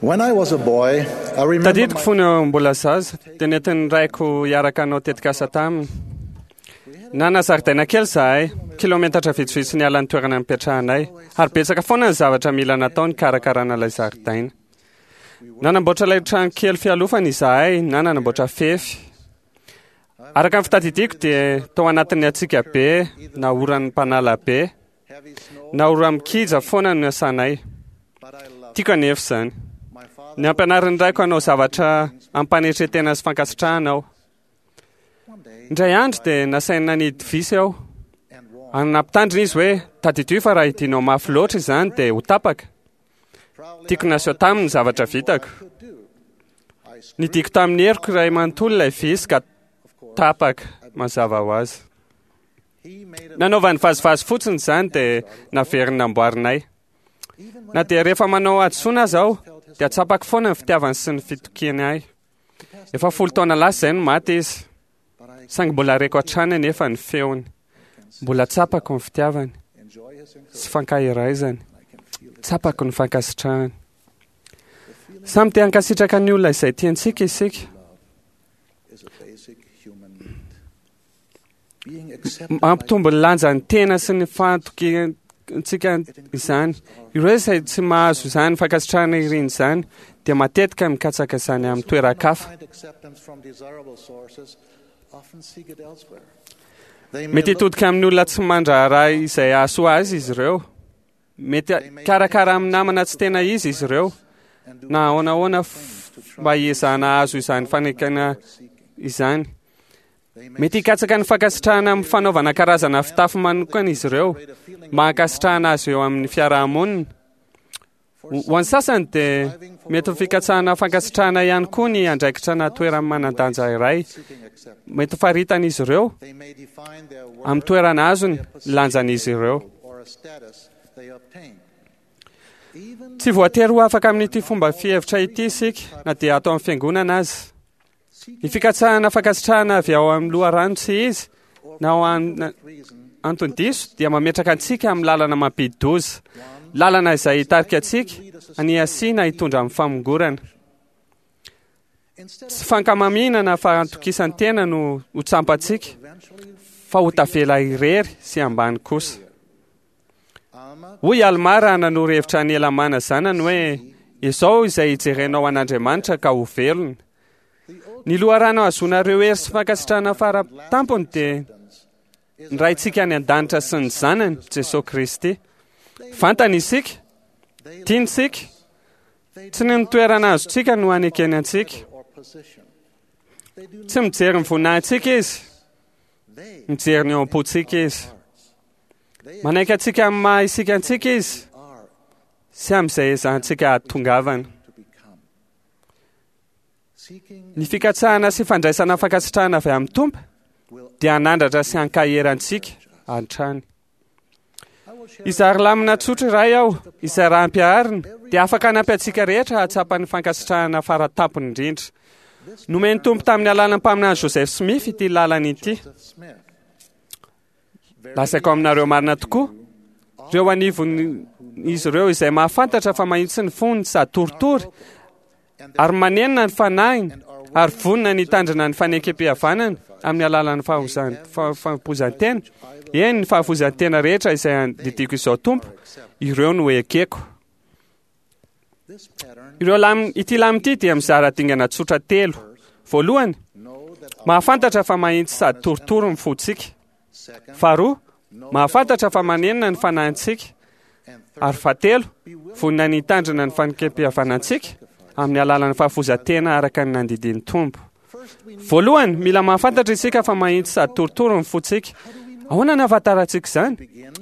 When I was a boy, I remember Tadidiko fony mbola zaza, dia nentin'ny raiko hiaraka hanao tetikasa taminy. Nanana zaridaina kely izahay, kilometatra vitsivitsy niala ny toerana nipetrahanay, ary betsaka foana ny zavatra mila natao nikarakarana ilay zaridaina. Nanamboatra ilay trano kely fialofana izahay na nanamboatra fefy. Araka ny fitadidiako dia tao anatin'ny hatsiaka be na oran'ny mpanala be na ora-mikija foana no niasanay. Tiako anefa izany. Nampianarin'ny raiko hanao zavatra ampanetren-tena sy fankasitrahana aho. Indray andro dia nasainy nanidy visy aho. Ary nampitandrina izy hoe, tadidio fa raha idinao mafy loatra izany dia ho tapaka. Tiako naseho taminy ny zavatra vitako. Nidiko tamin'ny heriko iray manontolo ilay visy ka tapaka, mazava ho azy. Nanaovany vazivazy fotsiny izany dia naveriny namboarinay. Na dia rehefa manao hadisoana aza aho, dia tsapako foana ny fitiavany sy ny fitokiany ahy. Efa folo taona lasa izay no maty izy. Saingy mbola reko hatrany anefa ny feony. Mbola tsapako ny fitiavany sy fankaheraizany. Tsapako ny fankasitrahany. Samy te hankasitraka ny olona izay tiantsika isika. Mampitombo ny lanjan'ny tena sy ny fahatokiantsika izany. Ireo izay tsy mahazo izany fankasitrahana iriny izany dia matetika mikatsaka izany amin'ny toeran-kafa. Mety hitodika amin'ny olona tsy mandraharaha izay hahasoa azy izy ireo. Mety hikarakara amin'ny namana tsy tena izy izy ireo, na ahoana ahoana mba hiezahana hahazo izany fanekena izany. Mety hikatsaka ny fankasitrahana amin'ny fanaovana karazana fitafy manokana izy ireo mba hankasitrahana azy eo amin'ny fiarahamonina. Ho an'ny sasany dia mety ho fikatsahana fankasitrahana ihany koa ny andraikitra na toerana manan-danja iray. Mety ho faritan'izy ireo amin'ny toerana azony ny lanjan'izy ireo. Tsy voatery ho afaka amin'ity fomba fihevitra ity isika na dia ato amin'ny fiangonana aza. Ny fikatsahana fankasitrahana avy ao amin'ny loharano tsy izy na ao antony diso dia mametraka antsika amin'ny lalana mampidi-doza, lalana izay hitarika antsika haniasia na hitondra amin'ny famongorana. Tsy fankamamiana na fahantokisan-tena no ho tsampantsika fa ho tavela irery sy ambany kosa. Hoy Almà raha nanoro hevitra an'i Helamàna zanany hoe, Izao izay hijerenao an'Andriamanitra ka ho velona. Ny loharano ahazoanareo hery sy fankasitrahana fara tampony dia ny Raintsika any an-danitra sy ny Zanany, Jesoa Kristy. Fantany isika, tiany isika, tsy ny toerana azontsika no anekeny antsika. Tsy mijery ny voninahitsika Izy, mijery ny ao am-pontsika Izy. Manaiky antsika amin'ny maha isika antsika Izy sy amin'izay ezahantsika hahatongavana. Ny fikatsahana sy fandraisana fankasitrahana avy amin'ny Tompo dia hanandratra sy hankahery antsika hatrany. Hizary lamina tsotra iray aho, izay raha ampiharina dia afaka hanampy antsika rehetra hahatsapa ny fankasitrahana fara tampony indrindra. Nomen'ny Tompo tamin'ny alalan'ny mpaminany Joseph Smith ity lalana ity. Lazaiko aminareo marina tokoa, ireo anivon'izy ireo izay mahafantatra fa mahitsy ny fony sady toritory ary manenina ny fanahiny ary vonona ny hitandrina ny fanekempihavanana amin'ny alalan'ny fahafoizan-tena, eny, ny fahafoizan-tena rehetra izay andidiako izao Tompo, ireo no ekeko. Ireo lam, ity lam ity dia mizara dingana tsotra telo. Voalohany, mahafantatra fa mahitsy sady torotoro ny fontsika. Faharoa, mahafantatra fa manenina ny fanahintsika. Ary fahatelo, vonona ny hitandrina ny fanekem-pihavanantsika amin'ny alalan'ny fahafoizan-tena araka ny nandidian'ny Tompo. Voalohany, mila mahafantatra isika fa mahitsy sady torotoro ny fontsika. Ahoana no ahafantarantsika izany?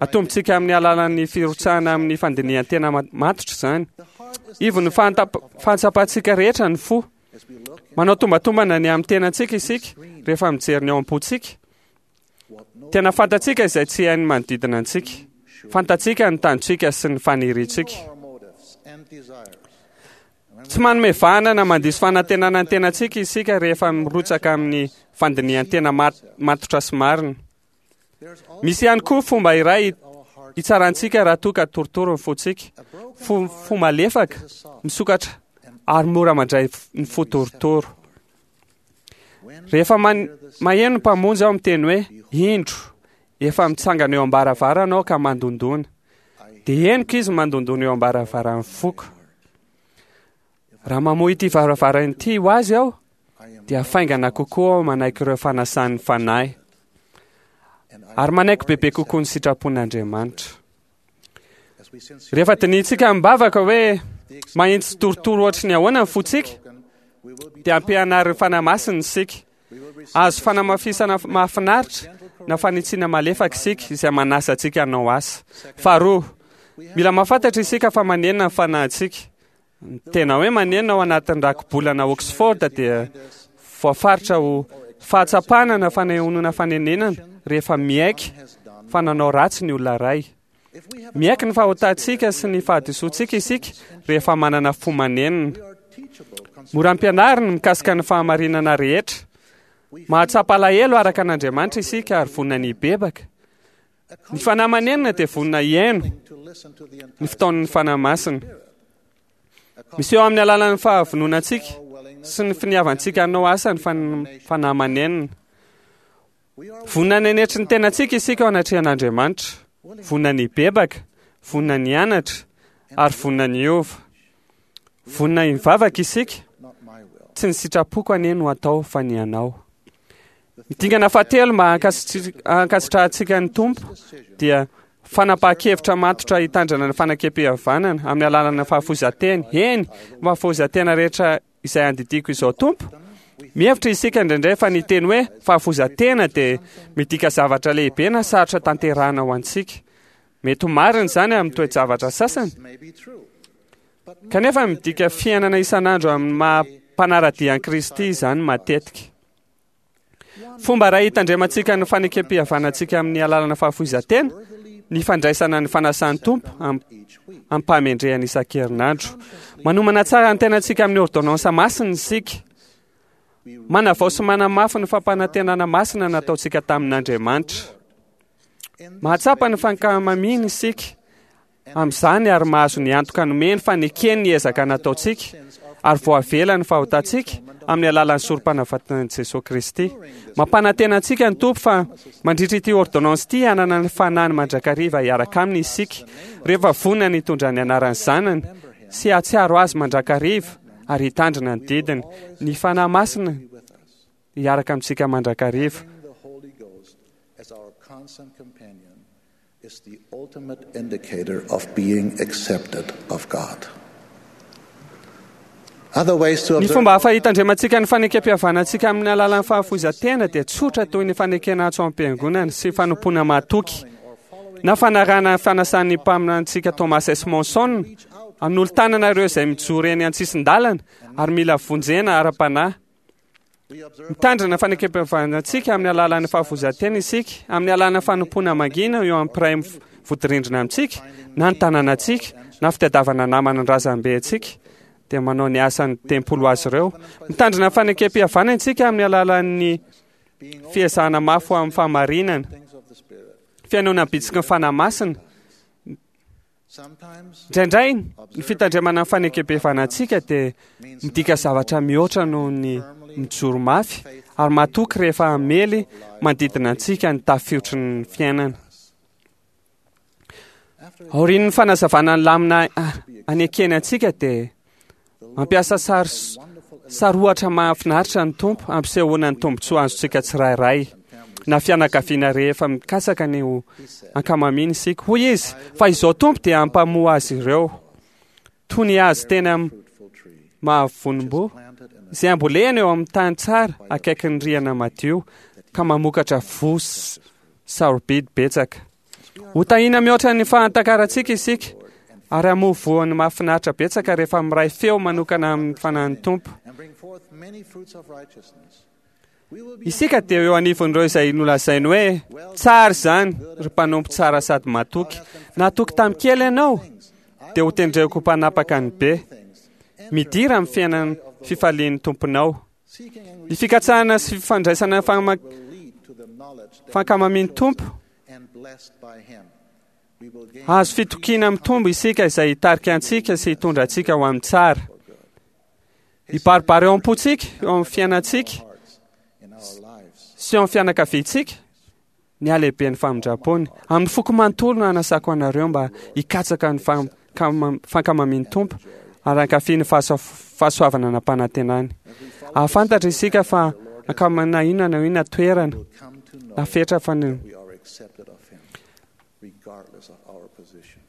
Atombontsika amin'ny alalan'ny firotsahana amin'ny fandinihan-tena matotra izany. Ivon'ny fahatsapantsika rehetra ny fo. Manao tombatombana ny amin'ny tenantsika isika rehefa mijery ny ao am-pontsika. Tena fantatsika izay tsy hain'ny manodidina antsika. Fantatsika ny tanjontsika sy ny faniriantsika. Tsy manome vahana na mandiso fanantenana ny tenantsika isika rehefa mirotsaka amin'ny fandinihan-tena matotra sy marina. Misy ihany koa fomba iray hitsarantsika raha toa ka torotoro ny fontsika. Fo, fo malefaka, misokatra. ary mora mandray ny fo torotoro. Rehefa maheno ny Mpamonjy aho miteny hoe, Indro, efa mitsangana eo am-baravarana aho ka mandondona. Dia henoko izy mandondona eo am-baravaran'ny foko. Raha mamoha ity varavarana ity ho azy aho, dia faingana kokoa aho manaiky ireo fanasan'ny Fanahy, ary manaiky bebe kokoa ny sitrapon'Andriamanitra. Rehefa dinihintsika amim-bavaka hoe mahitsy torotoro ohatry ny ahoana ny fontsika, dia ampianarin'ny Fanahy Masina isika. Azo fanamafisana mahafinaritra na fanitsiana malefaka isika izay manasa antsika hanao asa. Faharoa, mila mahafantatra isika fa manenina ny fanahintsika. Ny tena hoe manenina ao anatin'ny rakibolana Oxford dia voafaritra ho fahatsapana na fanehoana fanenenana rehefa miaiky fa nanao ratsy ny olona iray. Miaiky ny fahotantsika sy ny fahadisoantsika isika rehefa manana fo manenina. Mora ampianarina mikasika ny fahamarinana rehetra. Mahatsapa alahelo araka an'Andriamanitra isika ary vonona ny hibebaka. Ny fanahy manenina dia vonona hihaino ny fitaon'ny Fanahy Masina. Miseho amin'ny alalan'ny fahavononantsika sy ny finiavantsika hanao asa ny fanahy manenina. Vonona ny hanetry ny tenantsika isika eo anatrehan'Andriamanitra, vonona ny hibebaka, vonona ny hianatra, ary vonona ny hiova. Vonona hivavaka isika, tsy ny sitrapoko anie no atao fa ny anao. Ny dingana fahatelo mba hankasitrahantsika ny Tompo dia fanapahan-kevitra matotra hitandrana ny fanekempihavanana amin'ny alalan'ny fahafoizan-tena. Eny, fahafoizan-tena rehetra izay andidiako izao Tompo. Mihevitra isika indraindray fa ny teny hoe fahafoizan-tena dia midika zavatra lehibe na sarotra tanterahina ho antsika. Mety ho marina izany amin'ny toe-javatra sasany. Kanefa midika fiainana isan'andro amin'ny maha mpanara-dia an'i Kristy izany matetika. Fomba iray hitandremantsika ny fanekempihavanantsika amin'ny alalana fahafoizan-tena ny fandraisana ny fanasan'ny Tompo amim-pahamendrehana isan-kerinandro. Manomana tsara ny tenantsika amin'ny ôrdônansa masina isika. Manavao sy manamafy ny fampanantenana masina nataontsika tamin'Andriamanitra. Mahatsapa ny fankamamiany isika amin'izany ary mahazo ny antoka nomeny fa nekeny ny ezaka nataontsika ary voavela ny fahotantsika amin'ny alalan'ny sorom-panavatan'i Jesoa Kristy. Mampanantena antsika ny Tompo fa mandritra ity ôrdônansy ity hanana ny Fanahiny mandrakariva hiaraka aminy isika rehefa vonona ny hitondra ny anaran'ny Zanany sy hahatsiaro Azy mandrakariva ary hitandrina ny didiny. Ny Fanahy Masina hiaraka amintsika mandrakariva. Is the ultimate indicator of being accepted of God. Other ways to Ny observe fomba hafa hitandremantsika ny fanekempihavanantsika amin'ny alalan'ny fahafoizan-tena dia tsotra toy ny fanekena antso am-piangonana sy fanompoana mahatoky na fanarahana ny fanasan'ny mpaminantsika Thomas S. Monson hanolo-tanana ireo izay mijoro eny an-tsisin-dalana ary mila vonjena ara-panahy. Mitandrina fanekempihavanantsika amin'ny alalan'ny fahafoizan-tena isika, amin'ny alalan'ny fanompoana mangina eo amin'ny mpiray vodirindrina amintsika, na ny tanànantsika, na fitadiavana namana ny razambe antsika, dia manao ny asan'ny tempoly ho azy ireo. Mitandrina fanekempihavanana isika amin'ny alalan'ny fiezahana mafy ho amin'ny fahamarinana, fihainoana ny bitsiky ny Fanahy Masina. Indraindray ny fitandremana ny fanekempihavanantsika dia midika zavatra mihoatra noho ny mijoro mafy ary matoky rehefa hamely manodidina antsika ny tafiotry ny fiainana. Aorian'ny fanazavana ny lamina anekeny antsika dia mampiasa sary sary ohatra mahafinaritra ny Tompo hampisehoana ny tombontsoa azontsika tsirairay na fianakaviana rehefa mikatsaka ny ho ankamamiana isika. Hoy izy fa izao Tompo dia hampamoa azy ireo toy ny hazo tena mahavonim-boa izay ambolena eo amin'ny tany tsara akaikin'ny rihana madio ka mamokatra voa sarobidy betsaka. Ho tahiana mihoatra ny fahatakarantsika isika ary hamoa voany mahafinaritra betsaka rehefa miray feo manokana amin'ny fanahin'ny Tompo. Isika dia eo anivon'ireo izay nolazainy hoe tsara izany ry mpanompo tsara sady matoky. Natoky tamin'ny kely ianao dia ho tendreko ho mpanapaka ny be. Midira amin'ny fiainan'ny fifalian'ny Tomponao. Ny fikatsahana sy fifandraisana fankamamian'ny Tompo. Azo fitokiana mitombo isika izay hitarika antsika sy hitondra antsika ho amin'ny tsara. Hibaribary eo am-pontsika, eo amin'ny fiainantsika sy eo amin'ny fianakaviantsika ny halehiben'ny famindrampony. Amin'ny foko manontolo no anasako anareo mba hikatsaka ny fankamamian'ny Tompo ary hankafy ny fahasoavana nampanantenany. Hahafantatra isika fa ankamana inona na inona toerana na fetra fa ny regardless of our position,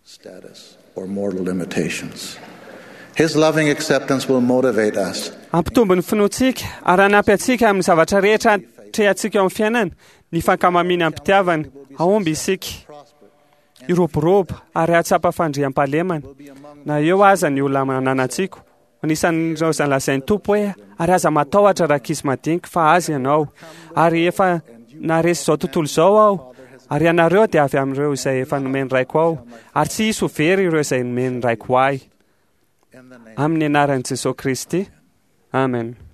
status, or mortal limitations. His loving acceptance will motivate us. Hampitombo ny finoantsika ary hanampy antsika amin'ny zavatra rehetra atrehantsika eo amin'ny fiainana ny fankamamiana am-pitiavana. Hahomby isika, hiroborobo ary hahatsapa fandriampahalemana na eo aza ny olona ananantsika. Anisan'ireo izay lazain'ny Tompo hoe, ary aza matahotra rankizy madinika fa azy ianao. Ary efa naharesy izao tontolo izao aho, ary ianareo dia avy amin'ireo izay efa nomen'ny Raiko aho, ary tsy hisy ho very ireo izay nomen'ny Raiko ahy. Amin'ny anaran'i Jesoa Kristy. Amen.